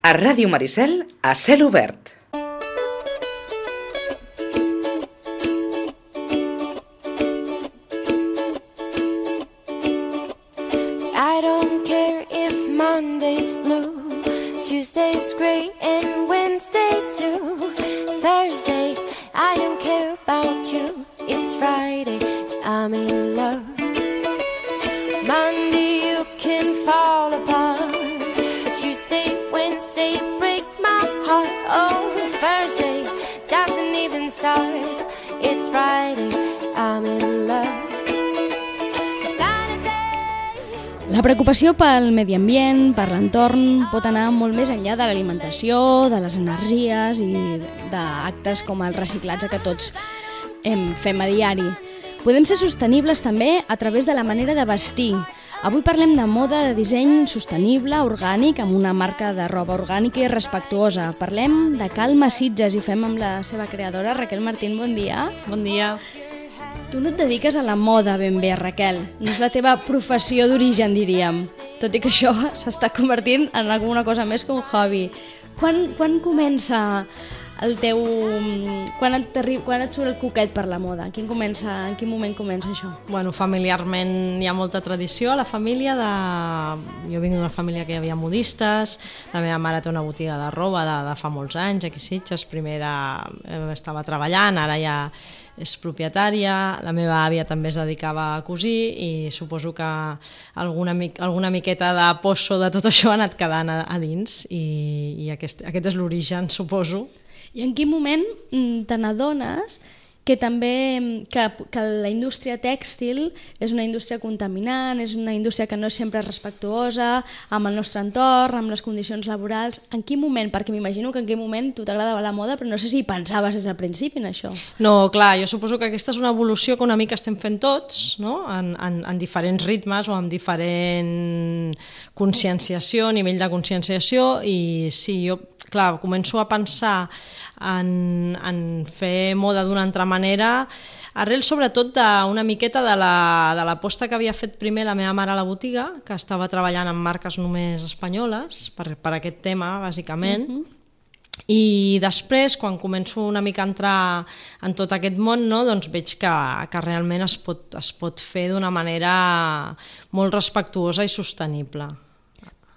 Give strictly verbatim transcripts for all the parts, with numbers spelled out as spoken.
A Ràdio Maricel, a cel obert. I don't care if Monday's blue, Tuesday's gray and Wednesday too. Thursday, I don't care about you. It's Friday, I'm in love. Monday, you can fall apart. Tuesday, Wednesday, break my heart. Oh, Thursday doesn't even start. It's Friday, I'm in love. La preocupació pel medi ambient, per l'entorn, pot anar molt més enllà de l'alimentació, de les energies i d'actes com el reciclatge que tots em fem a diari. Podem ser sostenibles també a través de la manera de vestir. Avui parlem de moda, de disseny sostenible, orgànic, amb una marca de roba orgànica i respectuosa. Parlem de Calma Sitges i ho fem amb la seva creadora, Raquel Martín. Bon dia. Bon dia. Tu no et dediques a la moda ben bé, Raquel. No és la teva professió d'origen, diríem. Tot i que això s'està convertint en alguna cosa més que un hobby. Quan, quan comença el teu... Quan et, quan et surt el coquet per la moda? Quin comença, en quin moment comença això? Bueno, familiarment hi ha molta tradició a la família. De... Jo vinc d'una família que hi havia modistes. La meva mare té una botiga de roba de, de fa molts anys, aquí a Sitges. Primer era, estava treballant, ara ja és propietària. La meva àvia també es dedicava a cosir i suposo que alguna, alguna miqueta de poço de tot això ha anat quedant a, a dins i, i aquest, aquest és l'origen, suposo. I en quin moment te n'adones que també que, que la indústria tèxtil és una indústria contaminant, és una indústria que no és sempre respectuosa amb el nostre entorn, amb les condicions laborals? En quin moment? Perquè m'imagino que en quin moment tu t'agradava la moda, però no sé si pensaves des del principi en això. No, clar, jo suposo que aquesta és una evolució que una mica estem fent tots, no? en, en, en diferents ritmes o amb diferent conscienciació, nivell de conscienciació, i sí, jo clar, començo a pensar en, en fer moda d'una altra manera, arrel sobretot d'una miqueta de la, de l'aposta que havia fet primer la meva mare a la botiga, que estava treballant amb marques només espanyoles, per, per aquest tema, bàsicament, uh-huh. I després, quan començo una mica a entrar en tot aquest món, no, doncs veig que, que realment es pot, es pot fer d'una manera molt respectuosa i sostenible.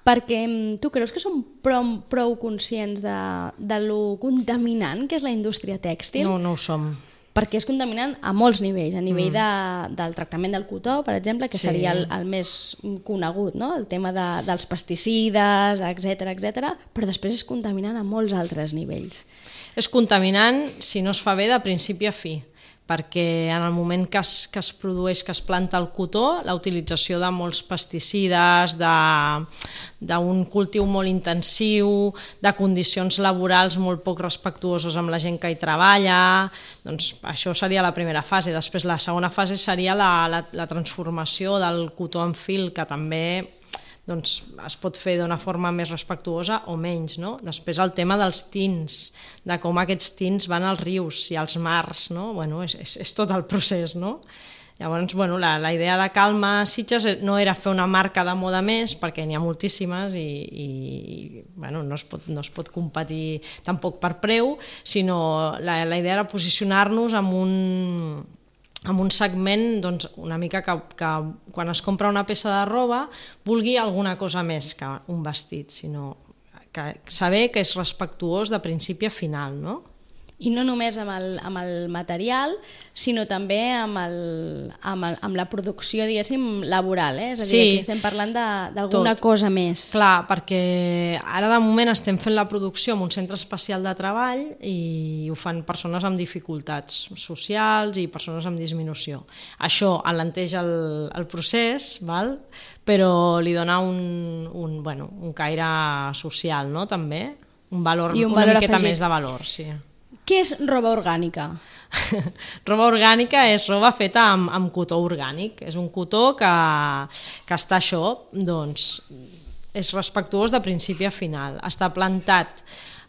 Perquè tu creus que som prou, prou conscients de, de lo contaminant que és la indústria tèxtil? No, no ho som. Perquè és contaminant a molts nivells, a nivell mm. de, del tractament del cotó, per exemple, que sí. seria el, el més conegut, no? El tema de, dels pesticides, etcètera, etcètera, però després és contaminant a molts altres nivells. És contaminant si no es fa bé de principi a fi, perquè en el moment que es, que es produeix, que es planta el cotó, la utilització de molts pesticides, d'un cultiu molt intensiu, de condicions laborals molt poc respectuoses amb la gent que hi treballa, doncs això seria la primera fase. Després la segona fase seria la, la, la transformació del cotó en fil, que també doncs, es pot fer d'una forma més respectuosa o menys, no? Després el tema dels tints, de com aquests tints van als rius i als mars, no? Bueno, és, és, és tot el procés, no? Llavors, bueno, la, la idea de Calma Sitges no era fer una marca de moda més, perquè n'hi ha moltíssimes i, i bueno, no, es pot, no es pot competir tampoc per preu, sinó la, la idea era posicionar-nos amb un... amb un segment doncs, una mica que, que quan es compra una peça de roba vulgui alguna cosa més que un vestit, sinó que saber que és respectuós de principi a final, no? I no només amb el, amb el material, sinó també amb, el, amb, el, amb la producció, diguéssim, laboral, eh? És a dir, sí, aquí estem parlant d'alguna cosa més. Clar, perquè ara de moment estem fent la producció en un centre especial de treball i ho fan persones amb dificultats socials i persones amb disminució. Això alenteix el, el procés, val? Però li dona un, un, bueno, un caire social, no? També, un valor, un una valor miqueta afegit. més de valor, sí. Què és roba orgànica? Roba orgànica és roba feta amb, amb cotó orgànic. És un cotó que, que està això, doncs, és respectuós de principi a final. Està plantat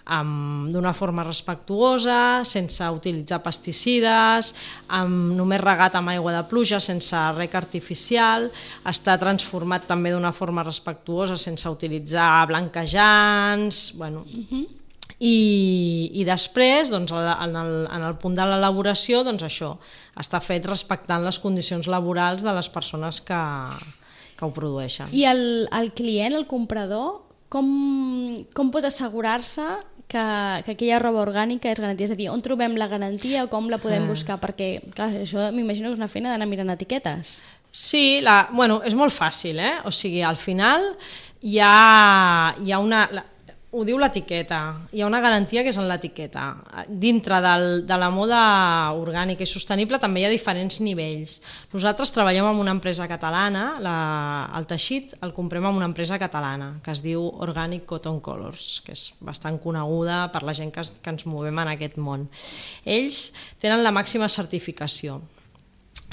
um, d'una forma respectuosa, sense utilitzar pesticides, um, només regat amb aigua de pluja, sense rec artificial, està transformat també d'una forma respectuosa, sense utilitzar blanquejants, bueno... Uh-huh. I, i després, doncs, en, el, en el punt de l'elaboració, doncs això, està fet respectant les condicions laborals de les persones que, que ho produeixen. I el, el client, el comprador, com, com pot assegurar-se que, que aquella roba orgànica és garantia? És a dir, on trobem la garantia o com la podem buscar? Perquè, clar, això m'imagino que és una feina d'anar mirant etiquetes. Sí, la, bueno, és molt fàcil, eh? O sigui, al final hi ha, hi ha una... La, ho diu l'etiqueta, hi ha una garantia que és en l'etiqueta. Dintre del, de la moda orgànica i sostenible també hi ha diferents nivells. Nosaltres treballem amb una empresa catalana, la, el teixit el comprem amb una empresa catalana que es diu Organic Cotton Colors, que és bastant coneguda per la gent que, que ens movem en aquest món. Ells tenen la màxima certificació,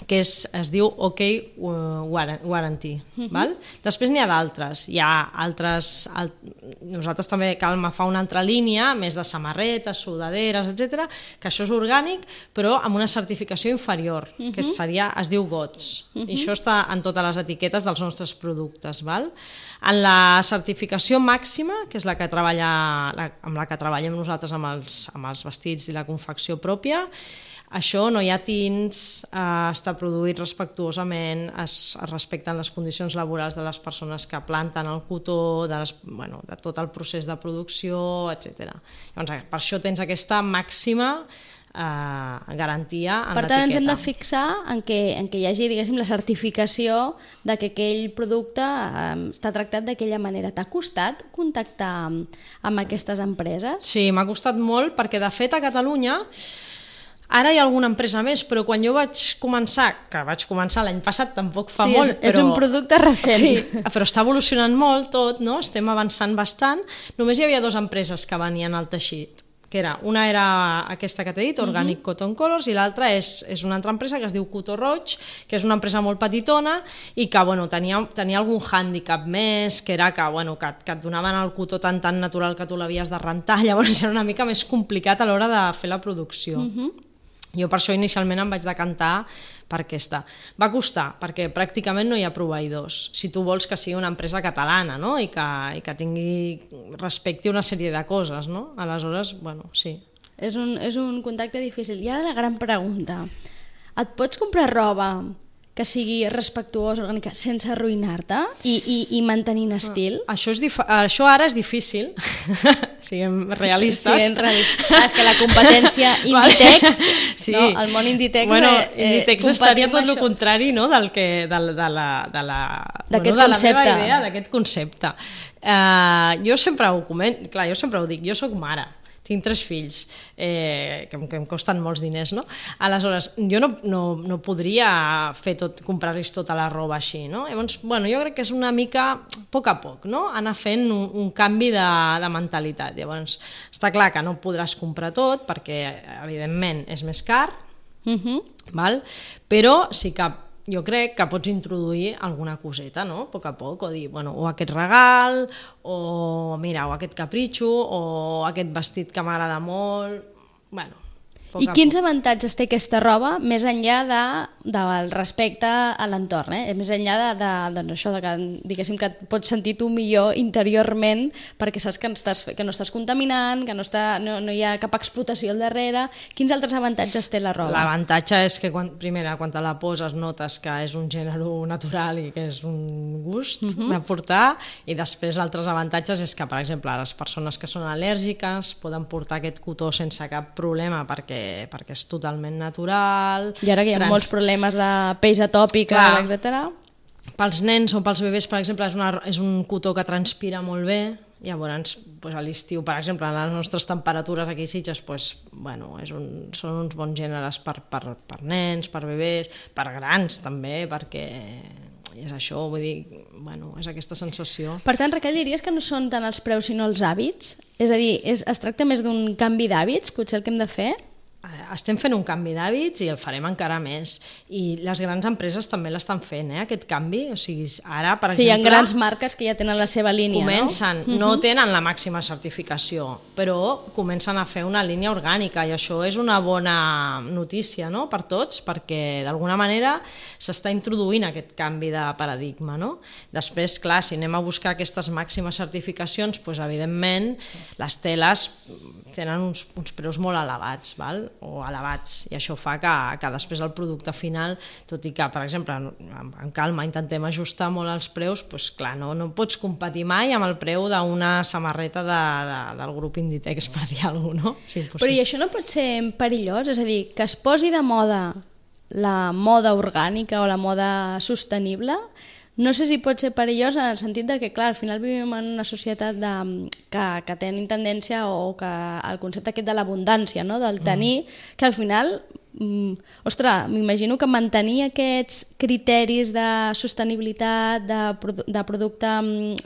que és, es diu OK Warranty. Uh-huh. Val? Després n'hi ha d'altres. Hi ha altres... Al, nosaltres també Calma fa una altra línia, més de samarretes, sudaderes, etcètera, que això és orgànic, però amb una certificació inferior, uh-huh. que seria, es diu G O T S. Uh-huh. I això està en totes les etiquetes dels nostres productes. Val? En la certificació màxima, que és la que treballa, la, amb la que treballem nosaltres amb els, amb els vestits i la confecció pròpia, això no hi ha tints, eh, està produït respectuosament, es, es respecten les condicions laborals de les persones que planten el cotó, de, les, bueno, de tot el procés de producció, etcètera. Llavors, per això tens aquesta màxima eh, garantia en l'etiqueta. Per tant, ens hem de fixar en que, en que hi hagi, diguéssim, la certificació de que aquell producte eh, està tractat d'aquella manera. T'ha costat contactar amb, amb aquestes empreses? Sí, m'ha costat molt, perquè de fet a Catalunya ara hi ha alguna empresa més, però quan jo vaig començar, que vaig començar l'any passat, tampoc fa sí, molt, és, però... és un producte recent. Sí, però està evolucionant molt tot, no? Estem avançant bastant. Només hi havia dues empreses que venien al teixit, que era, una era aquesta que t'he dit, Organic uh-huh. Cotton Colors, i l'altra és, és una altra empresa que es diu Cotó Roig, que és una empresa molt petitona i que bueno, tenia, tenia algun hàndicap més, que era que, bueno, que, que et donaven el cotó tan, tan natural que tu l'havies de rentar, llavors era una mica més complicat a l'hora de fer la producció. Uh-huh. Jo per això inicialment em vaig decantar per aquesta. Va costar, perquè pràcticament no hi ha proveïdors. Si tu vols que sigui una empresa catalana, no? I que, i que tingui, respecti una sèrie de coses, no? Aleshores, bueno, sí. És un, és un contacte difícil. I ara la gran pregunta. Et pots comprar roba que sigui respectuosa, orgànica, sense arruïnar-te i, i, i mantenint estil? Ah, això, és dif- això ara és difícil, siguem realistes. Siguem realistes. Ah, és que la competència Inditex, sí. no? El món Inditex... Bueno, eh, Inditex estaria tot el contrari, no?, del que, de, de la, de la, d'aquest bueno, de concepte. La meva idea, d'aquest concepte. Uh, jo sempre ho comento, clar, jo sempre ho dic, jo soc mare, tinc tres fills, eh, que, que em costen molts diners, no? Aleshores, jo no, no, no podria fer tot, comprar-los tota la roba així, no? Llavors, bueno, jo crec que és una mica, a poc a poc, no? Anar fent un, un canvi de, de mentalitat. Llavors, està clar que no podràs comprar tot, perquè, evidentment, és més car, uh-huh. val? Però sí que jo crec que pots introduir alguna coseta, no? A poc a poc, o dir, bueno, o aquest regal, o mira, o aquest capritxo, o aquest vestit que m'agrada molt, bueno... I quins avantatges té aquesta roba més enllà de, del respecte a l'entorn, eh? Més enllà de, de, doncs això, de que, diguéssim, que et pots sentir tu millor interiorment perquè saps que, estàs, que no estàs contaminant, que no, està, no, no hi ha cap explotació al darrere. Quins altres avantatges té la roba? L'avantatge és que, quan, primera, quan te la poses notes que és un gènere natural i que és un gust uh-huh. de portar, i després altres avantatges és que, per exemple, les persones que són al·lèrgiques poden portar aquest cotó sense cap problema perquè perquè és totalment natural. I ara que hi ha trans... molts problemes de peix atòpica, etcètera. Pels nens o pels bebès, per exemple, és, una, és un cotó que transpira molt bé. Llavors, doncs, a l'estiu, per exemple, a les nostres temperatures aquí a Sitges, doncs, bueno, és un, són uns bons gèneres per, per, per nens, per bebès, per grans també, perquè és això, vull dir, bueno, és aquesta sensació. Per tant, Raquel, diries que no són tant els preus sinó els hàbits? És a dir, és, es tracta més d'un canvi d'hàbits, potser el que hem de fer? estem fent un canvi d'hàbits i el farem encara més. I les grans empreses també l'estan fent, eh, aquest canvi. O sigui, ara, per sí, exemple... Hi ha grans marques que ja tenen la seva línia, comencen, no? No tenen la màxima certificació, però comencen a fer una línia orgànica i això és una bona notícia, no?, per tots, perquè d'alguna manera s'està introduint aquest canvi de paradigma, no? Després, clar, si anem a buscar aquestes màximes certificacions, doncs, evidentment, les teles tenen uns, uns preus molt elevats, val? O elevats, i això fa que, que després el producte final, tot i que, per exemple, en calma intentem ajustar molt els preus, doncs clar, no, no pots competir mai amb el preu d'una samarreta de, de, del grup Inditex, per dir alguna cosa, no? Sí, però i això no pot ser perillós? És a dir, que es posi de moda la moda orgànica o la moda sostenible, no sé si pot ser perillós en el sentit de que, clar, al final vivim en una societat de, que, que tenim tendència o que el concepte aquest de l'abundància, no?, del tenir, mm. que al final, mm, ostres, m'imagino que mantenir aquests criteris de sostenibilitat, de, produ de producte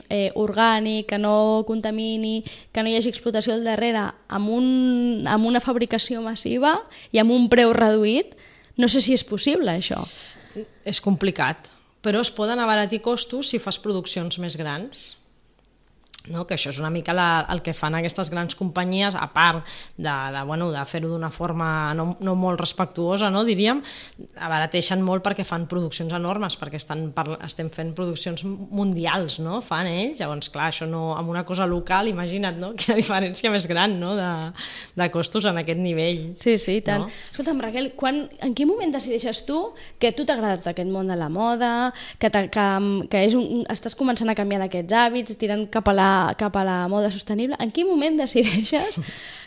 eh, orgànic, que no contamini, que no hi hagi explotació al darrere, amb, un, amb una fabricació massiva i amb un preu reduït, no sé si és possible, això. És complicat, però es poden abaratir costos si fas produccions més grans. No? Que això és una mica la, el que fan aquestes grans companyies, a part de, de, bueno, de fer-ho d'una forma no, no molt respectuosa, no, diríem, abarateixen molt perquè fan produccions enormes, perquè estan, per, estem fent produccions mundials, no? Fan ells, llavors clar, això no, amb una cosa local, imagina't, no? Quina diferència més gran, no? de, de costos en aquest nivell. Sí, sí, tant. No? Escolta'm, Raquel, quan, en quin moment decideixes tu que a tu t'agrada tot aquest món de la moda, que, que, que és un, estàs començant a canviar d'aquests hàbits, tirant cap a la cap a la moda sostenible, en quin moment decideixes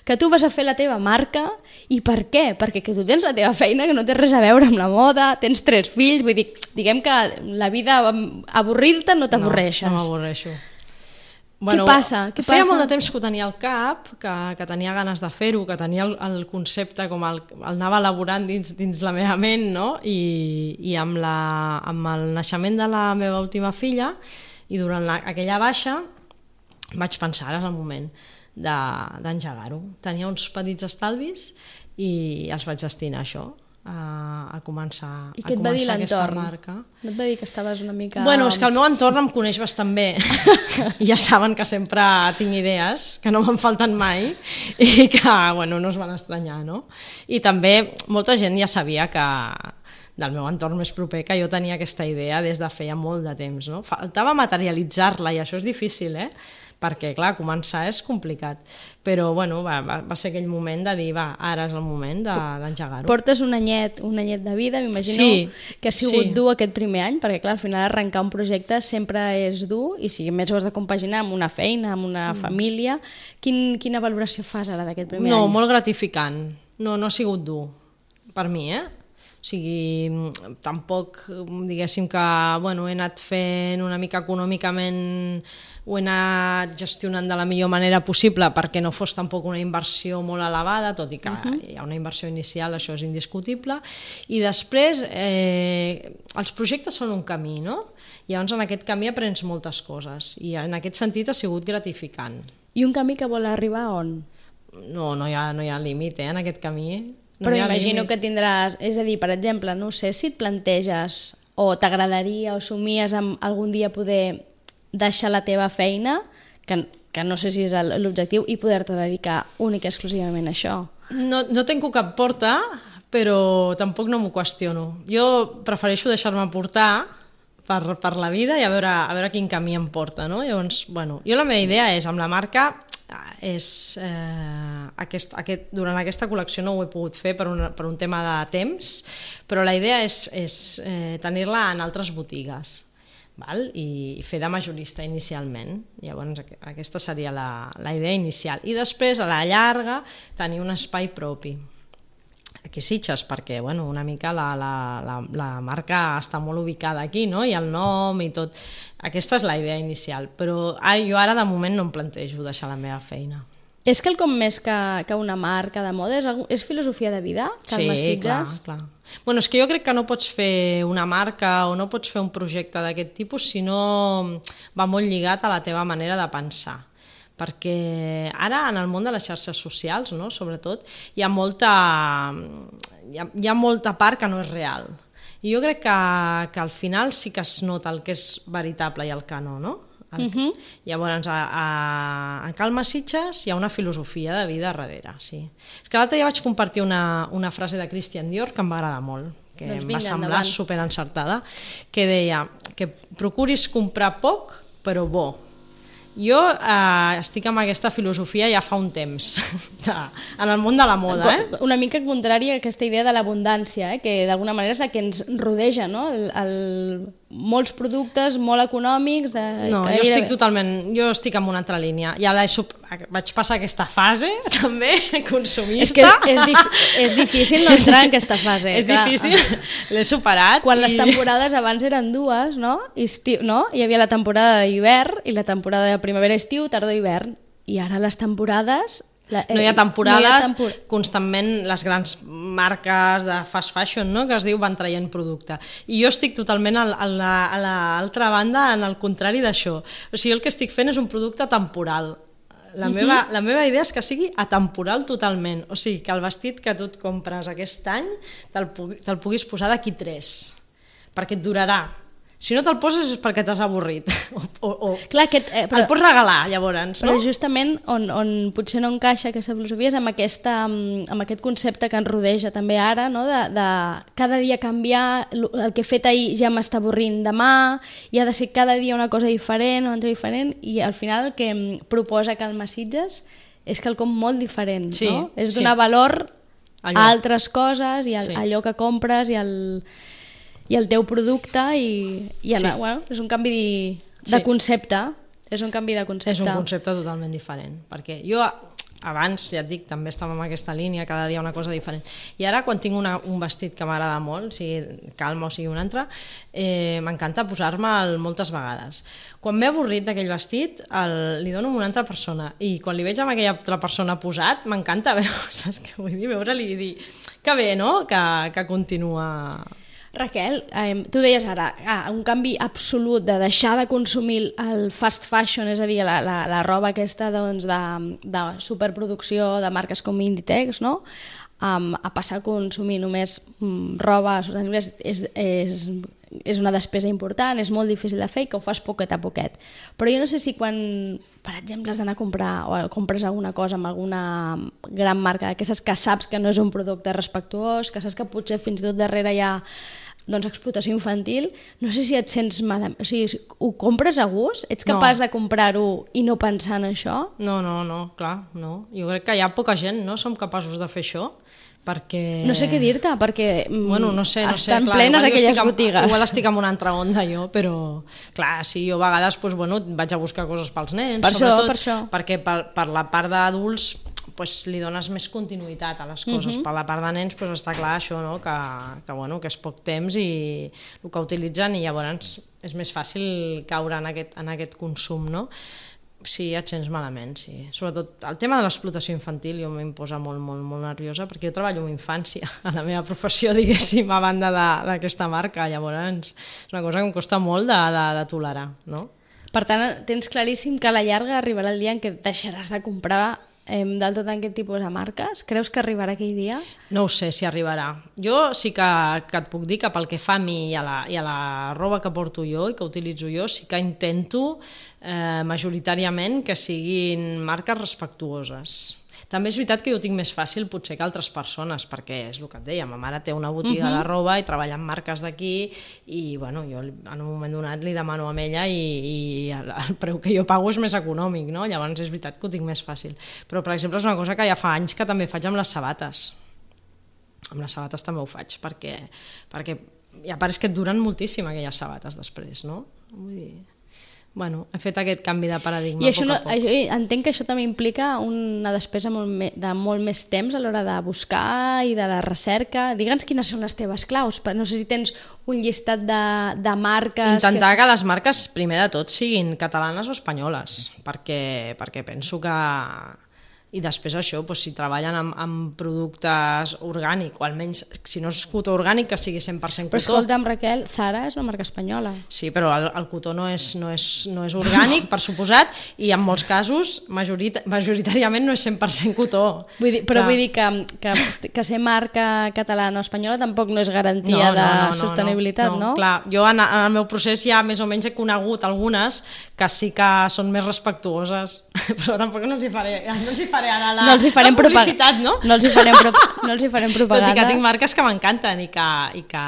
que tu vas a fer la teva marca i per què? Perquè que tu tens la teva feina que no té res a veure amb la moda, tens tres fills, vull dir, diguem que la vida, avorrir-te no t'avorreixes. No, no m'avorreixo. Bueno, què passa? Què feia passa? molt de temps que ho tenia al cap, que, que tenia ganes de fer-ho, que tenia el, el concepte com el, el anava elaborant dins, dins la meva ment, no? I, i amb, la, amb el naixement de la meva última filla i durant la, aquella baixa vaig pensar, ara és el moment d'engegar-ho. Tenia uns petits estalvis i els vaig destinar a això, a, a començar, I què a et va dir començar aquesta l'entorn? marca. No et va dir que estaves una mica... Bueno, és que el meu entorn em coneix bastant bé i ja saben que sempre tinc idees, que no me'n falten mai i que, bueno, no es van estranyar, no? I també molta gent ja sabia que del meu entorn més proper, que jo tenia aquesta idea des de feia molt de temps, no? Faltava materialitzar-la i això és difícil, eh? Perquè, clar, començar és complicat. Però, bueno, va, va, va ser aquell moment de dir, va, ara és el moment d'engegar-ho. Portes un anyet, un anyet de vida, m'imagino sí, que ha sigut sí. dur aquest primer any, perquè, clar, al final arrencar un projecte sempre és dur i si a més ho has de compaginar amb una feina, amb una mm. família, quin, quina valoració fas ara d'aquest primer no, any? No, molt gratificant. No, no ha sigut dur, per mi, eh? O sigui, tampoc, diguéssim que, bueno, he anat fent una mica econòmicament, ho he anat gestionant de la millor manera possible perquè no fos tampoc una inversió molt elevada, tot i que uh-huh. hi ha una inversió inicial, això és indiscutible, i després eh, els projectes són un camí, no? I llavors en aquest camí aprens moltes coses i en aquest sentit ha sigut gratificant. I un camí que vol arribar on? No, no hi ha, no hi ha límit, eh, en aquest camí. No Però imagino que tindràs, és a dir, per exemple, no sé si et planteges o t'agradaria o somies amb algun dia poder deixar la teva feina, que, que no sé si és l'objectiu, i poder-te dedicar únic i exclusivament a això. No, no tenco cap porta, però tampoc no m'ho qüestiono. Jo prefereixo deixar-me portar per, per la vida i a veure, a veure quin camí em porta, no? Llavors, bueno, jo la meva idea és, amb la marca, és, eh, aquest, aquest, durant aquesta col·lecció no ho he pogut fer per un, per un tema de temps, però la idea és, és eh, tenir-la en altres botigues, val? I fer de majorista inicialment. Llavors aquesta seria la, la idea inicial. I després, a la llarga, tenir un espai propi. Aquí Sitges, perquè bueno, una mica la, la, la, la marca està molt ubicada aquí, no? I el nom i tot. Aquesta és la idea inicial, però ah, jo ara de moment no em plantejo deixar la meva feina. És quelcom més que, que una marca de moda? És, és filosofia de vida? Sí, clar, clar. Bueno, és que jo crec que no pots fer una marca o no pots fer un projecte d'aquest tipus si no va molt lligat a la teva manera de pensar. perquè ara en el món de les xarxes socials, no? Sobretot, hi ha molta, hi ha, hi ha molta part que no és real. I jo crec que, que al final sí que es nota el que és veritable i el que no, no? El, uh -huh. Llavors, a, a, a Calma Sitges hi ha una filosofia de vida darrere, sí. És que l'altre dia vaig compartir una, una frase de Christian Dior que em va agradar molt, que doncs vinga, em va semblar endavant. Superencertada, que deia que procuris comprar poc però bo. Jo eh, estic amb aquesta filosofia ja fa un temps, de, en el món de la moda. Eh? Una mica contrària a aquesta idea de l'abundància, eh? Que d'alguna manera és la que ens rodeja, no? El, el, molts productes molt econòmics... De, no, jo estic totalment... Jo estic en una altra línia. Ja la he, vaig passar aquesta fase, també, consumista. És que és, dif, és difícil no entrar en aquesta fase. És clar. Difícil, l'he superat. Quan i... les temporades abans eren dues, no? Estiu, no? Hi havia la temporada d'hivern i la temporada de primavera-estiu, tardor-hivern. I ara les temporades... La, eh, no hi ha temporades, no hi ha tempor... constantment les grans marques de fast fashion, no?, que es diu van traient producte. I jo estic totalment a, a l'altra banda, en el contrari d'això. O sigui, el que estic fent és un producte temporal. La, uh-huh. meva, la meva idea és que sigui atemporal totalment. O sigui, que el vestit que tu et compres aquest any te'l te puguis posar d'aquí tres, perquè et durarà. Si no te'l poses és perquè t'has avorrit. O, o, o Clar, aquest, eh, però, el pots regalar, llavors, no? Però justament on, on potser no encaixa aquesta filosofia és amb, aquesta, amb aquest concepte que ens rodeja també ara, no? de, de cada dia canviar, el que he fet ahir ja m'està avorrint demà, i ha de ser cada dia una cosa diferent, una altra diferent, i al final el que proposa Calma Sitges és quelcom molt diferent, sí, no? És donar sí. valor allò. A altres coses i a sí. allò que compres i al... i el teu producte i, i anar, sí. bueno, és un canvi de, de sí. concepte, és un canvi de concepte. És un concepte totalment diferent, perquè jo abans, ja et dic, també estava en aquesta línia, cada dia una cosa diferent, i ara quan tinc una, un vestit que m'agrada molt, sigui Calma o sigui un altre, eh, m'encanta posar-me'l moltes vegades. Quan m'he avorrit d'aquell vestit, el, li dono a una altra persona, i quan li veig amb aquella altra persona posat, m'encanta veure, saps què vull dir? Veure-li i dir, que bé, no?, que, que continua... Raquel, eh, tu deies ara ah, un canvi absolut de deixar de consumir el fast fashion, és a dir, la, la, la roba aquesta doncs, de, de superproducció de marques com Inditex, no? Um, a passar a consumir només um, roba sostenible és, és, és, és una despesa important, és molt difícil de fer i que ho fas poquet a poquet. Però jo no sé si quan, per exemple, has d'anar a comprar o compres alguna cosa amb alguna gran marca d'aquestes que saps que no és un producte respectuós, que saps que potser fins i tot darrere hi ha doncs, explotació infantil, no sé si et sents malament, o sigui, ho compres a gust? Ets capaç no. de comprar-ho i no pensar en això? No, no, no, clar, no. Jo crec que hi ha poca gent, no som capaços de fer això, perquè... No sé què dir-te, perquè bueno, no sé, no sé, estan clar, plenes aquelles amb, botigues. Igual estic en una altra onda jo, però clar, sí, jo a vegades doncs, bueno, vaig a buscar coses pels nens, per sobretot, això, per això. perquè per, per la part d'adults pues, li dones més continuïtat a les coses. Uh-huh. Per la part de nens pues, està clar això, no? que, que, bueno, que és poc temps i el que utilitzen i llavors és més fàcil caure en aquest, en aquest consum, no? Sí, et sents malament, sí. Sobretot el tema de l'explotació infantil jo m'im posa molt, molt, molt nerviosa perquè jo treballo amb infància a la meva professió, diguéssim, a banda d'aquesta marca. Llavors és una cosa que em costa molt de, de, de tolerar, no? Per tant, tens claríssim que a la llarga arribarà el dia en què deixaràs de comprar eh, del tot aquest tipus de marques? Creus que arribarà aquell dia? No ho sé si arribarà. Jo sí que, que et puc dir que pel que fa a mi i a, la, i a la roba que porto jo i que utilitzo jo, sí que intento eh, majoritàriament que siguin marques respectuoses. També és veritat que jo ho tinc més fàcil potser que altres persones, perquè és el que et deia, ma mare té una botiga uh-huh. de roba i treballa amb marques d'aquí i bueno, jo en un moment donat li demano a ella i, i el, el preu que jo pago és més econòmic, no? Llavors és veritat que ho tinc més fàcil. Però per exemple és una cosa que ja fa anys que també faig amb les sabates. Amb les sabates també ho faig, perquè, perquè ja pareix que et duren moltíssim aquelles sabates després, no? Vull dir... Bueno, he fet aquest canvi de paradigma I això a poc no, a poc. Això, entenc que això també implica una despesa molt me, de molt més temps a l'hora de buscar i de la recerca. Digue'ns quines són les teves claus. No sé si tens un llistat de, de marques... Intentar que... que les marques, primer de tot, siguin catalanes o espanyoles, perquè, perquè penso que I després això, doncs, si treballen amb, amb productes orgànics, o almenys, si no és cotó orgànic, que sigui cent per cent cotó. Però escolta'm, Raquel, Zara és una marca espanyola. Sí, però el, el cotó no és, no és, no és orgànic, per suposat, i en molts casos, majorit, majoritàriament no és cent per cent cotó. Vull dir, però Clar. vull dir que, que, que ser marca catalana o espanyola tampoc no és garantia no, no, de no, no, sostenibilitat, no? no? no? Clar, jo en, en el meu procés ja més o menys he conegut algunes que sí que són més respectuoses, però tampoc no els hi faré, no els hi faré ara la, no els hi farem la publicitat, no? No els hi farem, pro... no els hi farem propaganda. Tot i que tinc marques que m'encanten i que, i que,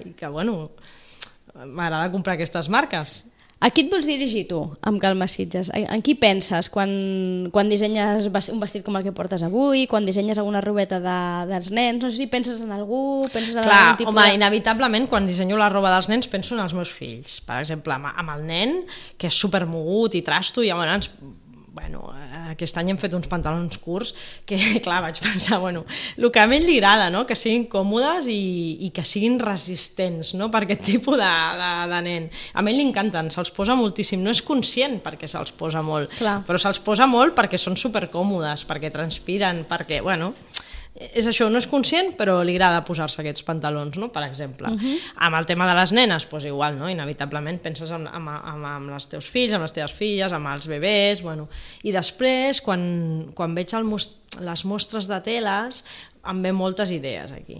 i que bueno, m'agrada comprar aquestes marques. A qui et vols dirigir tu, amb Calma Sitges? En qui penses quan, quan dissenyes un vestit com el que portes avui, quan dissenyes alguna robeta de, dels nens? No sé si penses en algú, penses en Clar, algun tipus home, de... inevitablement, quan dissenyo la roba dels nens penso en els meus fills. Per exemple, amb, amb el nen, que és supermogut i trasto, i llavors... Bueno, aquest any hem fet uns pantalons curts que, clar, vaig pensar, bueno, el que a ell li agrada, no? Que siguin còmodes i, i que siguin resistents, no? Per aquest tipus de, de, de nen. A ell li encanten, se'ls posa moltíssim, no és conscient perquè se'ls posa molt, clar. Però se'ls posa molt perquè són supercòmodes, perquè transpiren, perquè, bueno... És això, no és conscient, però li agrada posar-se aquests pantalons, no? Per exemple. Uh-huh. Amb el tema de les nenes, doncs igual, no? Inevitablement penses en, en, en, en els teus fills, amb les teves filles, amb els bebès, bueno. I després, quan, quan veig el most... les mostres de teles, em ve moltes idees aquí.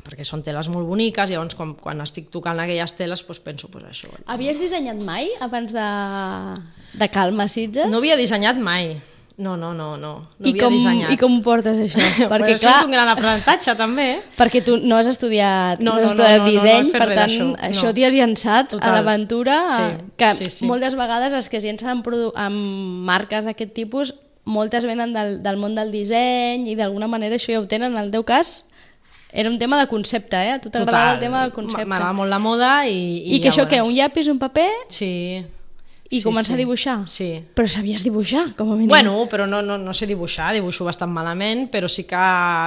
Perquè són teles molt boniques, i llavors quan, quan estic tocant aquelles teles doncs penso, doncs això. Havies dissenyat mai abans de, de Calma Sitges? No havia dissenyat mai. No, no, no, no, no I havia com, dissenyat. I com ho portes, això? Perquè, això clar, és un gran aprenentatge, també. Perquè tu no has estudiat, no, no, no, has estudiat no, no, disseny, no, no per tant, això, això no. T'hi has llançat Total. A l'aventura, sí, que sí, sí. moltes vegades els que es llencen amb, produ- amb marques d'aquest tipus, moltes venen del, del món del disseny i d'alguna manera això ja ho tenen. En el teu cas, era un tema de concepte, eh? A tu t'agradava el tema del concepte. M'agrada molt la moda i... I, I que això què? Un llapis, un paper? Sí. I sí, començar sí. a dibuixar? Sí. Però sabies dibuixar, com a mínim. Bueno, però no, no, no sé dibuixar, dibuixo bastant malament, però sí que,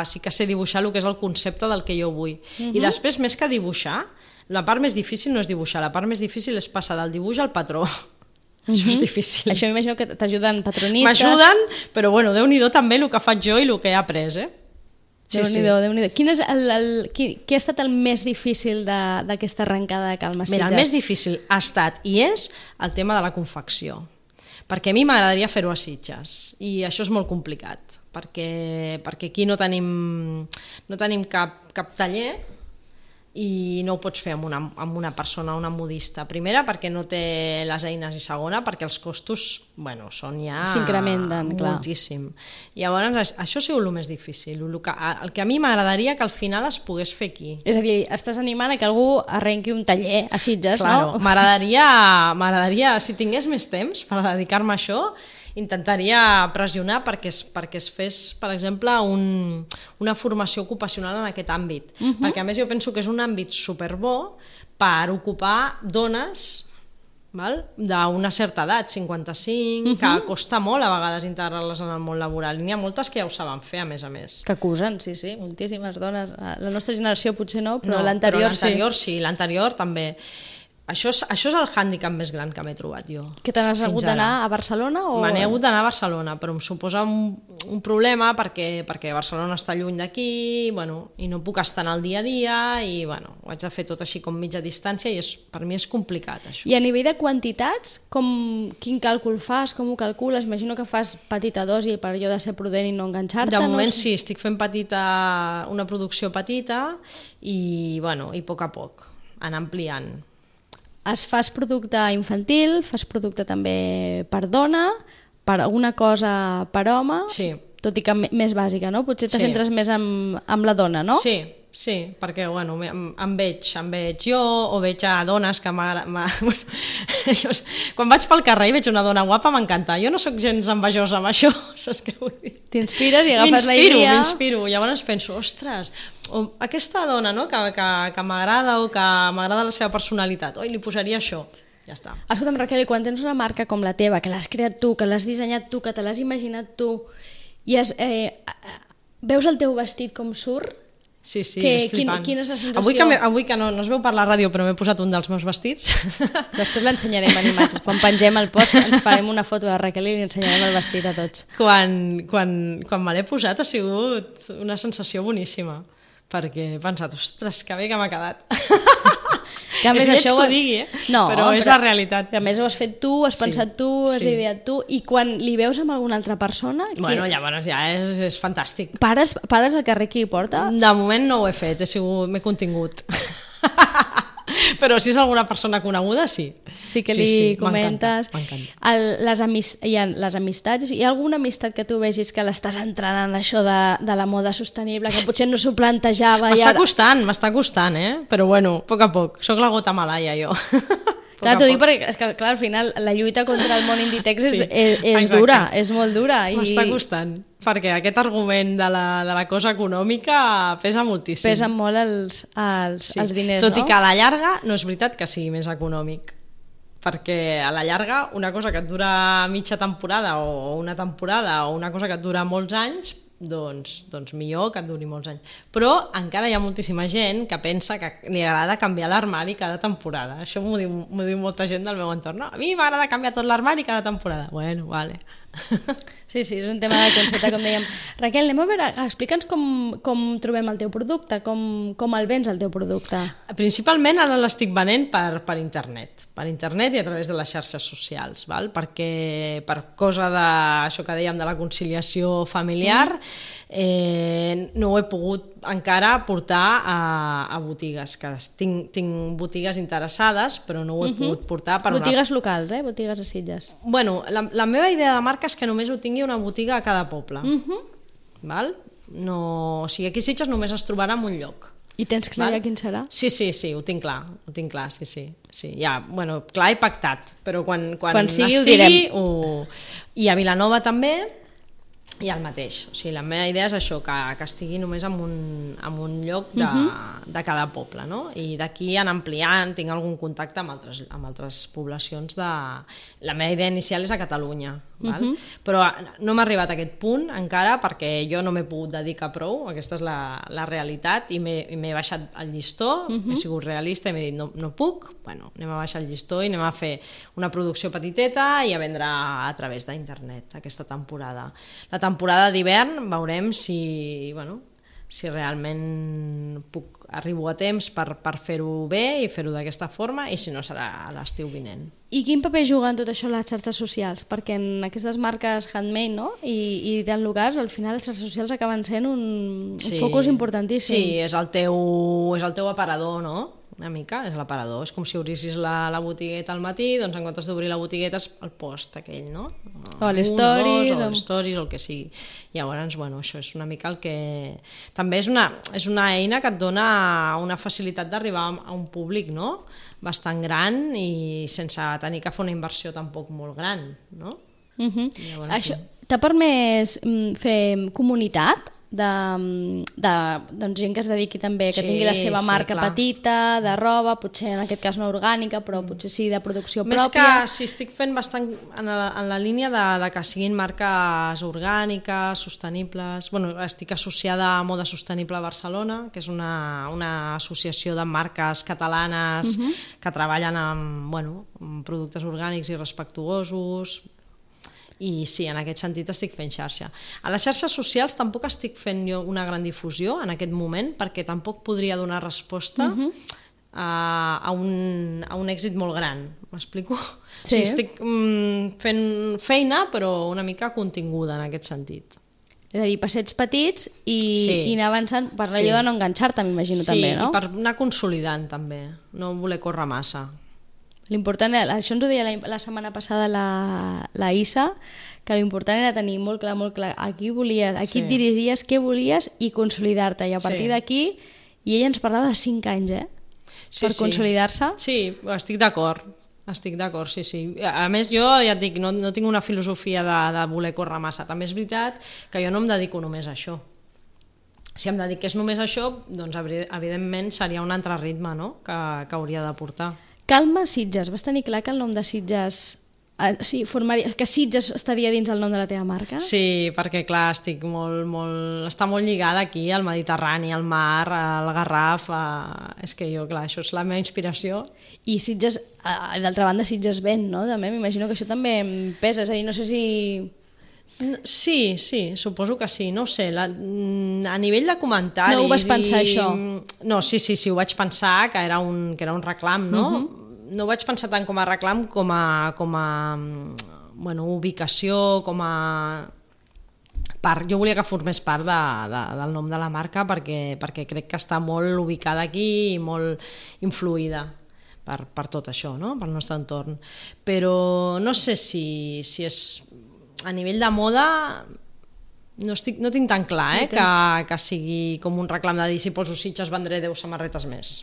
sí que sé dibuixar el que és el concepte del que jo vull. Uh-huh. I després, més que dibuixar, la part més difícil no és dibuixar, la part més difícil és passar del dibuix al patró. Uh-huh. Això és difícil. Això m'imagino que t'ajuden patronistes. M'ajuden, però bueno, Déu-n'hi-do també el que faig jo i el que he après, eh? Sí, Déu-n'hi-do, sí. Déu-n'hi-do. Quin, és el, el, qui, qui ha estat el més difícil d'aquesta arrencada de Calma Sitges? Mira, el més difícil ha estat i és el tema de la confecció, perquè a mi m'agradaria fer-ho a Sitges i això és molt complicat, perquè, perquè aquí no tenim, no tenim cap, cap taller i no ho pots fer amb una, amb una persona, una modista. Primera, perquè no té les eines, i segona, perquè els costos, bueno, són ja... s'incrementen, clar. Moltíssim. I llavors, això ha sigut el més difícil. El que, el que a mi m'agradaria que al final es pogués fer aquí. És a dir, estàs animant a que algú arrenqui un taller a Sitges, claro, no? M'agradaria, m'agradaria, si tingués més temps per dedicar-me a això, intentaria pressionar perquè es, perquè es fes, per exemple, un, una formació ocupacional en aquest àmbit. Uh-huh. Perquè a més jo penso que és un àmbit superbo per ocupar dones d'una certa edat, cinquanta-cinc, uh-huh. que costa molt a vegades integrar-les en el món laboral. N'hi ha moltes que ja ho saben fer, a més a més. Que acusen, sí, sí, moltíssimes dones. La nostra generació potser no, però no, l'anterior sí. L'anterior sí, l'anterior també. Això és, això és el hàndicap més gran que m'he trobat jo. Que te n'has hagut d'anar a Barcelona? O... Me n'he hagut d'anar a Barcelona, però em suposa un, un problema perquè, perquè Barcelona està lluny d'aquí, bueno, i no puc estar en el dia a dia, i bueno, ho haig de fer tot així com mitja distància, i és, per mi és complicat, això. I a nivell de quantitats, com, quin càlcul fas, com ho calcules? Imagino que fas petita dosi per allò de ser prudent i no enganxar-te. De moment no? sí, estic fent petita, una producció petita, i, bueno, i a poc a poc, anar ampliant. Es fas producte infantil, fas producte també per dona, per alguna cosa per home, sí. Tot i que més bàsica, no? Potser te sí. centres més amb, amb la dona, no? Sí, sí, perquè bueno, em, em, veig, em veig jo, o veig a dones que m'agrada... Bueno, quan vaig pel carrer i veig una dona guapa m'encanta. Jo no sóc gens envejosa amb això, saps què vull dir? T'inspires i agafes la idea... M'inspiro, m'inspiro. Llavors penso, ostres, aquesta dona, no?, que, que, que m'agrada o que m'agrada la seva personalitat, oi, li posaria això. Ja està. Escolta'm, Raquel, i quan tens una marca com la teva, que l'has creat tu, que l'has dissenyat tu, que te l'has imaginat tu, i has, eh, veus el teu vestit com surt, Sí, sí, que, és flipant. Quin, quina és la sensació? Avui que, avui que no, no es veu per la ràdio, però m'he posat un dels meus vestits. Després l'ensenyarem en imatges. Quan pengem el post ens farem una foto de Raquel i li ensenyarem el vestit a tots. Quan, quan, quan me l'he posat ha sigut una sensació boníssima, perquè he pensat, ostres, que bé que m'ha quedat. Que a més, és lleig això que ho... ho digui, eh? no, però és però, la realitat. Que a més ho has fet tu, has Sí, pensat tu, has sí. ideat tu, i quan li veus amb alguna altra persona... Bueno, qui... llavors ja és, és fantàstic. Pares, pares al carrer qui hi porta? De moment no ho he fet, he sigut, m'he contingut. Però si és alguna persona coneguda, sí. Sí que sí, li sí, comentes. M'encanta, m'encanta. El, les, amis, hi ha les amistats, hi ha alguna amistat que tu vegis que l'estàs entrant en això de, de la moda sostenible, que potser no s'ho plantejava i M'està ara... costant, m'està costant, eh? Però bueno, a poc a poc. Soc la gota malaia, jo. Clar, t'ho dic perquè és que, clar, al final la lluita contra el món Inditex Sí, és, és, és exacte. dura, és molt dura. I M'està costant, perquè aquest argument de la, de la cosa econòmica pesa moltíssim. pesen molt els, els, Sí. els diners, Tot no? i que a la llarga no és veritat que sigui més econòmic, perquè a la llarga una cosa que et dura mitja temporada o una temporada o una cosa que et dura molts anys, doncs, doncs millor que et duri molts anys. Però encara hi ha moltíssima gent que pensa que li agrada canviar l'armari cada temporada. Això m'ho diu, m'ho diu molta gent del meu entorn. No, a mi m'agrada canviar tot l'armari cada temporada. Bueno, vale. Sí, sí, és un tema de concepte, com dèiem. Raquel, anem a veure, explica'ns com, com trobem el teu producte, com, com el vens el teu producte. Principalment ara l'estic venent per, per internet, per internet i a través de les xarxes socials, val? Perquè per cosa de, això que dèiem de la conciliació familiar, eh, no ho he pogut encara portar a, a botigues, que tinc, tinc botigues interessades, però no ho he pogut portar per Botigues locals, eh? Botigues a Sitges. Bueno, la, la meva idea de marca és que només ho tingui una botiga a cada poble. Uh -huh. Val? No, o sigui, aquí a Sitges només es trobarà en un lloc. I tens clar Val? ja quin serà? Sí, sí, sí, ho tinc clar, ho tinc clar, sí, sí. sí ja, bueno, clar i pactat, però quan, quan, Quan sigui, ho estigui... direm. Ho... I a Vilanova també, i el mateix. O sigui, la meva idea és això, que, que estigui només en un, en un lloc de, uh -huh. de cada poble, no? I d'aquí anar ampliant, tinc algun contacte amb altres, amb altres poblacions de... La meva idea inicial és a Catalunya, val? Uh -huh. Però no m'ha arribat a aquest punt encara perquè jo no m'he pogut dedicar prou, aquesta és la, la realitat, i m'he baixat el llistó, uh -huh. he sigut realista i m'he dit no, no puc, bueno, anem a baixar el llistó i anem a fer una producció petiteta i a vendre a través d'internet aquesta temporada. La temporada d'hivern veurem si, bueno, si realment puc, arribo a temps per, per fer-ho bé i fer-ho d'aquesta forma, i si no serà a l'estiu vinent. I quin paper juga en tot això les xarxes socials? Perquè en aquestes marques handmade, no? I, i tan locals, al final les xarxes socials acaben sent un, un Sí. focus importantíssim. Sí, és el teu, és el teu aparador, no? Una mica, és l'aparador. És com si obrissis la, la botigueta al matí, doncs en comptes d'obrir la botigueta és el post aquell, no? O les Un, stories, dos, o o- les stories, o el que sigui. Llavors, bueno, això és una mica el que... També és una, és una eina que et dona una facilitat d'arribar a un públic, no? Bastant gran i sense tenir que fer una inversió tampoc molt gran, no? Uh -huh. Llavors, Això t'ha permès mm, fer comunitat de, de doncs, gent que es dediqui també, que Sí, tingui la seva sí, marca clar. petita, de roba, potser en aquest cas no orgànica, però potser sí de producció Més pròpia. que si estic fent bastant en la, en la línia de, de que siguin marques orgàniques, sostenibles... Bueno, estic associada a Moda Sostenible a Barcelona, que és una, una associació de marques catalanes uh -huh. que treballen amb, bueno, amb productes orgànics i respectuosos. I sí, en aquest sentit estic fent xarxa. A les xarxes socials tampoc estic fent jo una gran difusió en aquest moment, perquè tampoc podria donar resposta uh-huh. a, a, un, a un èxit molt gran. M'explico? Sí. O sigui, estic mm, fent feina, però una mica continguda en aquest sentit. És a dir, passets petits i, Sí. i anar avançant per allò Sí. de no enganxar-te, m'imagino, Sí, també, no? i per anar consolidant també, no voler córrer massa. L'important, això ens ho deia la, la setmana passada la, la Isa, que l'important era tenir molt clar, molt clar a qui volies, a qui Sí. et dirigies, què volies i consolidar-te. I a partir Sí. d'aquí, i ella ens parlava de cinc anys, eh? Sí, per sí. consolidar-se. Sí, estic d'acord. Estic d'acord, sí, sí. A més, jo ja et dic, no, no tinc una filosofia de, de voler córrer massa. També és veritat que jo no em dedico només a això. Si em dediqués només a això, doncs evidentment seria un altre ritme, no?, que, que hauria de portar. Calma Sitges. Vas tenir clar que el nom de Sitges Uh, sí, formaria, que Sitges estaria dins el nom de la teva marca? Sí, perquè clar, estic molt, molt, està molt lligada aquí al Mediterrani, al mar, al Garraf, a... és que jo, clar, això és la meva inspiració. I Sitges, uh, d'altra banda, Sitges ven, no? També m'imagino que això també pesa, és a dir, no sé si... Sí, sí, suposo que sí, no ho sé, la, a nivell de comentaris... No ho vas pensar, i... això? No, sí, sí, sí, ho vaig pensar, que era un, que era un reclam, no? Uh-huh. No ho vaig pensar tant com a reclam com a, com a bueno, ubicació, com a part. Jo volia que formés part de, de, del nom de la marca perquè, perquè crec que està molt ubicada aquí i molt influïda per, per tot això, no? Pel nostre entorn. Però no sé si, si és a nivell de moda... No, estic, no tinc tan clar eh, no que, que sigui com un reclam de dir si poso Sitges vendré deu samarretes més.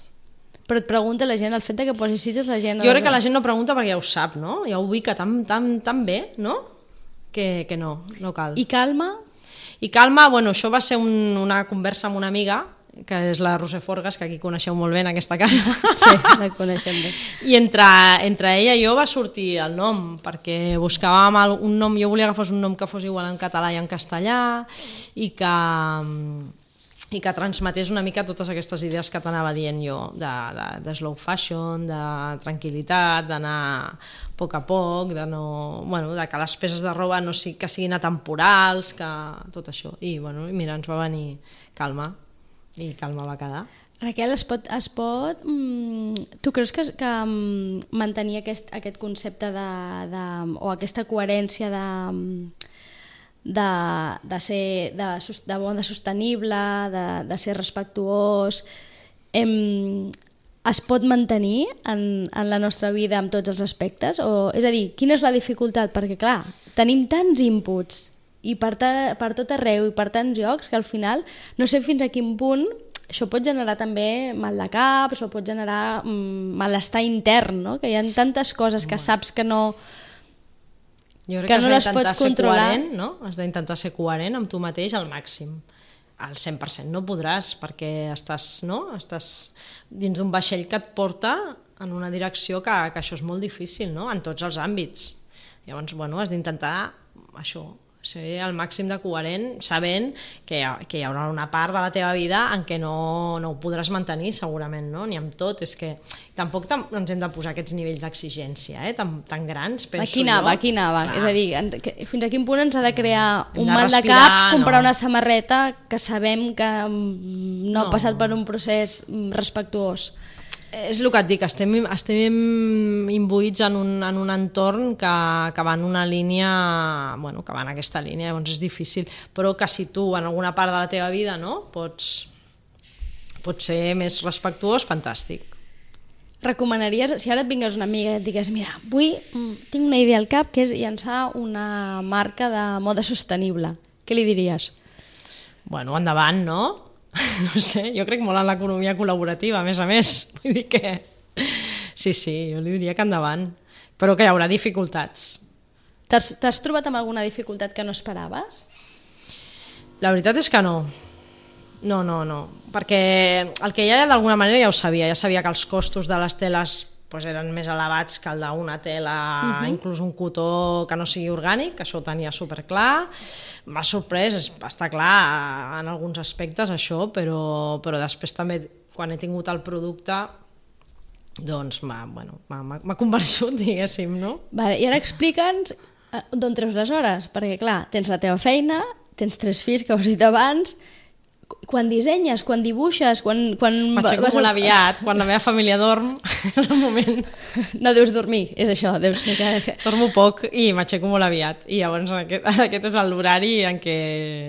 Però et pregunta la gent, el fet de que posi Sitges la gent... Jo crec que la gent no pregunta perquè ja ho sap, no? Ja ho ubica tan, tan, tan bé, no? Que, que no, no cal. I Calma? I Calma, bueno, això va ser un, una conversa amb una amiga, que és la Roser Forgas, que aquí coneixeu molt bé en aquesta casa. Sí, la coneixem bé. I entre, entre ella i jo va sortir el nom, perquè buscàvem un nom, jo volia que fos un nom que fos igual en català i en castellà, i que... i que transmetés una mica totes aquestes idees que t'anava dient jo, de, de, de slow fashion, de tranquil·litat, d'anar a poc a poc, de, no, bueno, de que les peces de roba no sigui, que siguin atemporals, que tot això. I bueno, mira, ens va venir Calma, i Calma va quedar. Raquel, es pot, es pot mm, tu creus que, que mm, mantenir aquest, aquest concepte de, de, o aquesta coherència de... De, de ser de, de moda sostenible, de, de ser respectuós, em, es pot mantenir en, en la nostra vida en tots els aspectes? O, és a dir, quina és la dificultat? Perquè, clar, tenim tants inputs i per, ta, per tot arreu i per tants llocs que al final no sé fins a quin punt això pot generar també mal de cap, això pot generar mm, malestar intern, no? Que hi ha tantes coses que saps que no... Jo crec que, que no les pots ser controlar. Coherent, no? Has d'intentar ser coherent amb tu mateix al màxim. Al cent per cent no podràs, perquè estàs, no? Estàs dins d'un vaixell que et porta en una direcció que, que això és molt difícil, no? En tots els àmbits. Llavors, bueno, has d'intentar això, ser al màxim de coherent, sabent que hi, ha, que hi haurà una part de la teva vida en què no, no ho podràs mantenir segurament, no? Ni amb tot, és que tampoc tam, ens hem de posar aquests nivells d'exigència eh? tan, tan grans, penso aquí anava, jo. Aquí anava, Clar. És a dir, en, que, fins a quin punt ens ha de crear hem un de mal respirar, de cap comprar no. una samarreta que sabem que no, no ha passat per un procés respectuós. És el que et dic, estem, estem imbuïts en un, en un entorn que, que va en una línia, bueno, que va en aquesta línia, llavors és difícil, però que si tu en alguna part de la teva vida no, pots, pots ser més respectuós, fantàstic. Recomanaries, si ara et vingués una amiga i et digués, mira, avui tinc una idea al cap que és llançar una marca de moda sostenible, què li diries? Bueno, endavant, no? No sé, jo crec molt en l'economia col·laborativa, a més a més. Vull dir que... Sí, sí, jo li diria que endavant. Però que hi haurà dificultats. T'has trobat amb alguna dificultat que no esperaves? La veritat és que no. No, no, no. Perquè el que ja d'alguna manera ja ho sabia. Ja sabia que els costos de les teles pues, eren més elevats que el d'una tela, uh-huh. inclús un cotó que no sigui orgànic, que això ho tenia superclar. M'ha sorprès, està clar en alguns aspectes això, però, però després també quan he tingut el producte doncs m'ha bueno, convençut, diguéssim, no? Vale, i ara explica'ns d'on treus les hores, perquè clar, tens la teva feina, tens tres fills que ho has dit abans, quan dissenyes, quan dibuixes, quan... quan m'aixeco molt aviat, quan la meva família dorm, és el moment. No deus dormir, és això, deus ser que... Dormo poc i m'aixeco molt aviat, i llavors aquest, aquest és l'horari en què,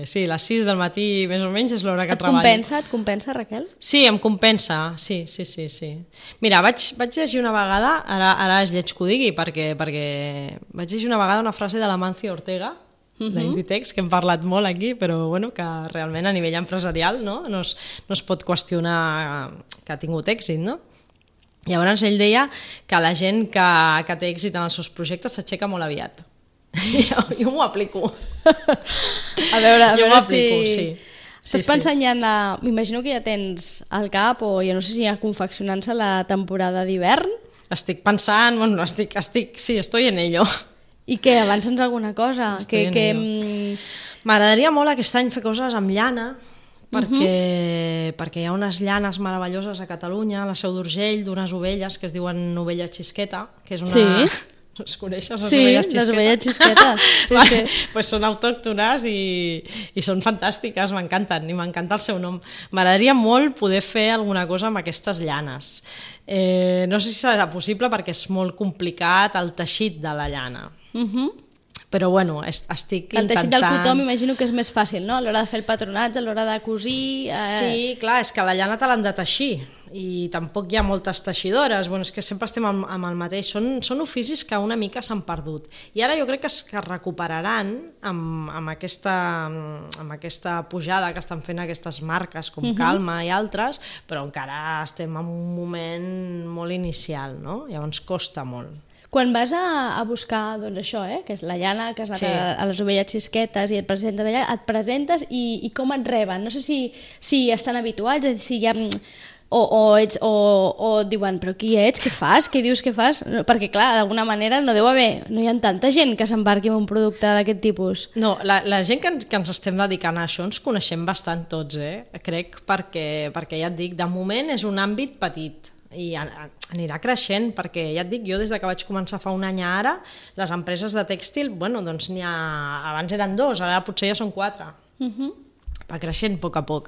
sí, a les sis del matí més o menys és l'hora que et treballo. Et compensa, et compensa, Raquel? Sí, em compensa, sí, sí, sí, sí. Mira, vaig, vaig llegir una vegada, ara, ara és lleig que ho digui, perquè, perquè vaig llegir una vegada una frase de l'Amancio Ortega, Uh-huh. d'Inditex, que hem parlat molt aquí, però bueno, que realment a nivell empresarial no, no, es, no es pot qüestionar que ha tingut èxit, no? Llavors ell deia que la gent que, que té èxit en els seus projectes s'aixeca molt aviat. jo jo m'ho aplico. A veure, a jo veure si... sí. Estàs sí, pensant sí. ja en la... M'imagino que ja tens al cap, o ja no sé si ja confeccionant-se la temporada d'hivern. Estic pensant, bueno, estic, estic, sí, estoy en ello. I què, avança'ns alguna cosa? Que, que... M'agradaria molt aquest any fer coses amb llana, perquè, uh-huh. perquè hi ha unes llanes meravelloses a Catalunya, a la Seu d'Urgell, d'unes ovelles que es diuen ovella xisqueta, que és una... Sí. Les coneixes, les sí, ovelles xisqueta? Sí, les ovelles xisquetes. Sí, vale, sí. Pues són autòctones i, i són fantàstiques, m'encanten, i m'encanta el seu nom. M'agradaria molt poder fer alguna cosa amb aquestes llanes. Eh, no sé si serà possible perquè és molt complicat el teixit de la llana. Uh-huh. Però bueno, estic intentant... El teixit del cotó m'imagino que és més fàcil, no? A l'hora de fer el patronatge, a l'hora de cosir... Eh... Sí, clar, és que la llana te l'han de teixir i tampoc hi ha moltes teixidores, bueno, és que sempre estem amb, amb el mateix, són, són oficis que una mica s'han perdut. I ara jo crec que es, que es recuperaran amb, amb, aquesta, amb aquesta pujada que estan fent aquestes marques com uh-huh. Calma i altres, però encara estem en un moment molt inicial, no? Llavors costa molt. Quan vas a, a buscar, doncs això, eh, que és la llana, que has anat sí. a, a les ovelles xisquetes i et presentes allà, et presentes i, i com et reben? No sé si, si estan habituats, si hi ha... O, o, ets, o, o diuen, però qui ets, què fas, què dius que fas? No, perquè clar, d'alguna manera no deu haver, no hi ha tanta gent que s'embarqui en un producte d'aquest tipus. No, la, la gent que ens, que ens estem dedicant a això ens coneixem bastant tots, eh? Crec, perquè, perquè ja et dic, de moment és un àmbit petit i anirà creixent, perquè ja et dic, jo des de que vaig començar fa un any a ara, les empreses de tèxtil, bueno, doncs n'hi ha, abans eren dos, ara potser ja són quatre. Uh-huh. Va creixent a poc a poc.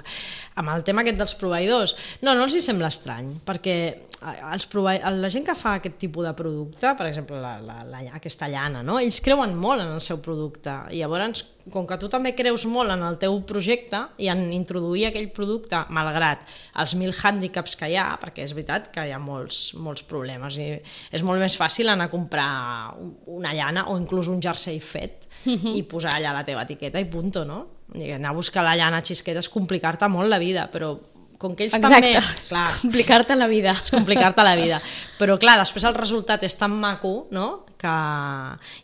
Amb el tema aquest dels proveïdors, no, no els hi sembla estrany, perquè els provei... la gent que fa aquest tipus de producte, per exemple, la, la, la, aquesta llana, no? Ells creuen molt en el seu producte, i llavors, com que tu també creus molt en el teu projecte i en introduir aquell producte, malgrat els mil hàndicaps que hi ha, perquè és veritat que hi ha molts, molts problemes, i és molt més fàcil anar a comprar una llana o inclús un jersei fet uh-huh. i posar allà la teva etiqueta i punto, no? I anar a buscar la llana xisqueta és complicar-te molt la vida, però com que ells Exacte. també... Clar, complicar-te la vida. És complicar-te la vida. Però clar, després el resultat és tan maco, no? Que...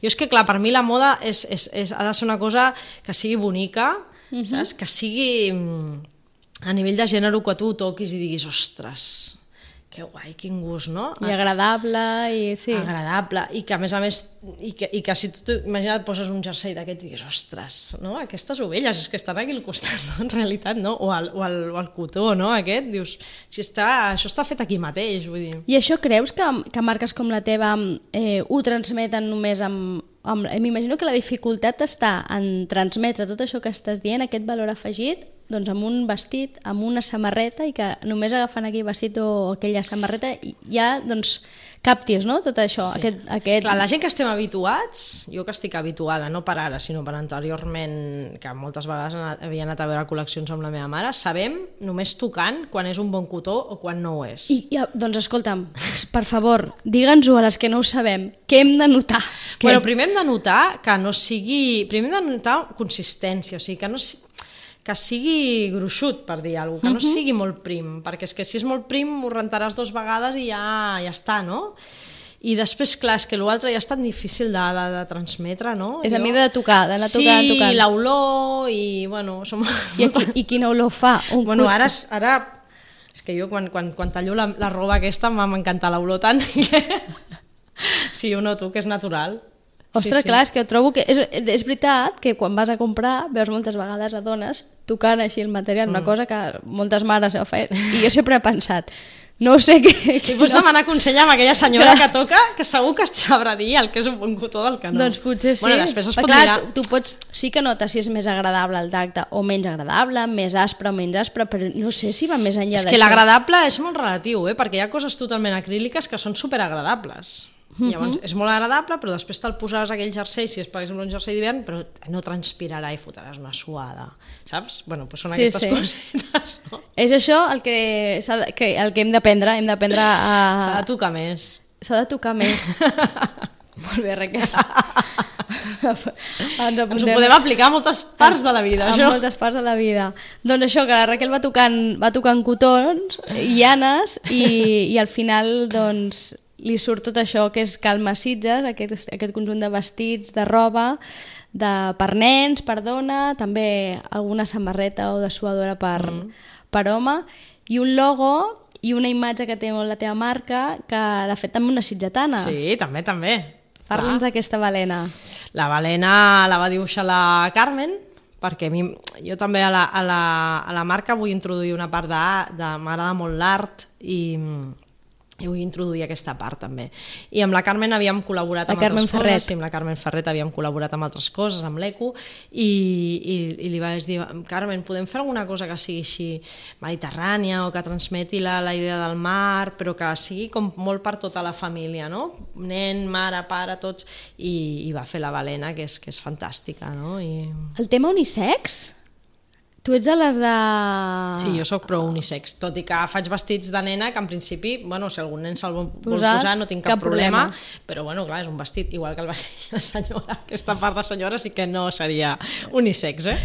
Jo és que clar, per mi la moda és, és, és, ha de ser una cosa que sigui bonica, uh-huh. saps? Que sigui a nivell de gènere que tu toquis i diguis, ostres, que guai, quin gust, no? I agradable, i sí. Agradable, i que a més a més, i que, i que si tu, imagina't, poses un jersei d'aquests i digues, ostres, no? Aquestes ovelles, és que estan aquí al costat, no? En realitat, no? O el, o el, o el cotó, no? Aquest, dius, si està, això està fet aquí mateix, vull dir. I això creus que, que marques com la teva eh, ho transmeten només amb... amb m'imagino que la dificultat està en transmetre tot això que estàs dient, aquest valor afegit, doncs amb un vestit, amb una samarreta, i que només agafant aquell vestit o aquella samarreta ja doncs captis, no? Tot això. Sí. Aquest, aquest... Clar, la gent que estem habituats, jo que estic habituada, no per ara, sinó per anteriorment, que moltes vegades havia anat a veure col·leccions amb la meva mare, sabem només tocant quan és un bon cotó o quan no ho és. I, i doncs escolta'm, per favor, digue'ns-ho a les que no ho sabem, què hem de notar? Què? Bueno, primer hem de notar que no sigui... Primer hem de notar consistència, o sigui, que no sigui... que sigui gruixut, per dir alguna cosa, que no uh-huh. sigui molt prim, perquè és que si és molt prim ho rentaràs dues vegades i ja, ja està, no? I després, clar, és que l'altre ja és tan difícil de, de, de transmetre, no? És jo... a mida de tocar, d'anar sí, tocant, tocant. Sí, l'olor i, bueno... Som... I, aquí, I quina olor fa? Un bueno, ara, ara... És que jo, quan, quan, quan tallo la, la roba aquesta, m'encanta l'olor tant que... Sí, ho noto, que és natural. Ostres, sí, sí. clar, és que trobo que... És, és veritat que quan vas a comprar veus moltes vegades a dones tocant així el material, mm. una cosa que moltes mares ho fan. I jo sempre he pensat, no sé què... I pots no. demanar consell amb aquella senyora que toca, que segur que et sabrà dir el que és un bon cotó del que no. Doncs potser sí. Bueno, després es pot clar, mirar... tu, tu pots... Sí que notes si és més agradable el tacte o menys agradable, més aspre o menys aspre, però no sé si va més enllà d'això. És que l'agradable és molt relatiu, eh? Perquè hi ha coses totalment acríliques que són superagradables. Uh-huh. Llavors és molt agradable, però després te'l posaràs aquell jersei, si és per exemple un jersei d'hivern, però no transpirarà i fotràs una suada, saps? Bueno, doncs són sí, aquestes sí. coses, no? És això el que, de, que, el que hem d'aprendre, hem d'aprendre a... S'ha de tocar més. S'ha de tocar més. Molt bé, Raquel. Ens, Ens ho podem aplicar a moltes parts de la vida, a això. A moltes parts de la vida. Doncs això, que la Raquel va tocant, va tocant cotons, llanes, i, i al final, doncs... li surt tot això que és Calma Sitges, aquest, aquest conjunt de vestits, de roba, de, per nens, per dona, també alguna samarreta o dessuadora per, mm. per home, i un logo i una imatge que té la teva marca que l'ha fet també una sitgetana. Sí, també, també. Parla'ns d'aquesta balena. La balena la va dibuixar la Carmen, perquè a mi, jo també a la, a la, a la marca vull introduir una part de, de m'agrada molt l'art i, i vull introduir aquesta part també. I amb la Carmen havíem col·laborat la amb Carmen altres Ferret. coses, sí, amb la Carmen Ferret havíem col·laborat amb altres coses, amb l'Eco, i, i, i li vaig dir, Carmen, podem fer alguna cosa que sigui així mediterrània o que transmeti la, la idea del mar, però que sigui com molt per tota la família, no? Nen, mare, pare, tots, i, i va fer la balena, que és, que és fantàstica, no? I... El tema unisex? Tu ets de les de... Sí, jo sóc pro unisex, tot i que faig vestits de nena que en principi, bueno, si algun nen se'l vol Posar, posar no tinc cap, cap problema, problema, però bueno, clar, és un vestit, igual que el vestit de senyora, aquesta part de senyora sí que no seria unisex, eh?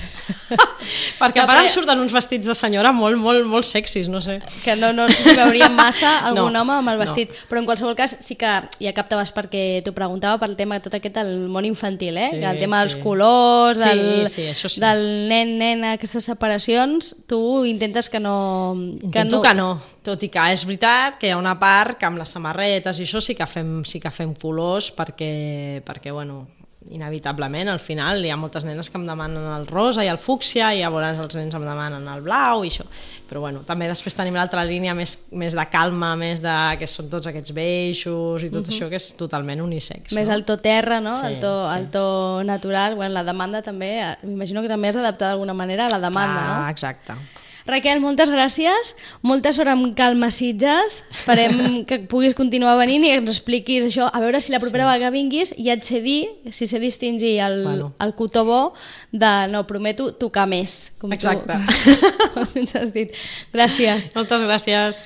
Perquè a part em surten uns vestits de senyora molt, molt, molt sexis, no sé. Que no, no sé si veuríem massa algun No, home amb el vestit, no. però en qualsevol cas sí que ja captaves perquè t'ho preguntava pel tema tot aquest del món infantil, eh? Sí, que el tema sí. dels colors, Sí, del, sí, això sí. del nen-nena, aquestes separacions, tu intentes que no... Intento que no, tot i que és veritat que hi ha una part que amb les samarretes i això sí que fem, sí que fem colors perquè, perquè bueno, inevitablement al final hi ha moltes nenes que em demanen el rosa i el fúcsia i llavors els nens em demanen el blau i això, però bueno, també després tenim l'altra línia més, més de calma, més de que són tots aquests beixos i tot uh-huh. això que és totalment unisex. Més no? el to terra, no? Sí, el, to, sí. el to natural, bueno, la demanda també, m'imagino que també has d'adaptar d'alguna manera a la demanda, ah, no? Exacte. Raquel, moltes gràcies, molta sort amb Calma Sitges, esperem que puguis continuar venint i ens expliquis això, a veure si la propera sí. vegada vinguis ja et sé dir, si sé distingir el, bueno. el cotó bo de, no, prometo, tocar més. Com exacte. Tu, com ens has dit. Gràcies. Moltes gràcies.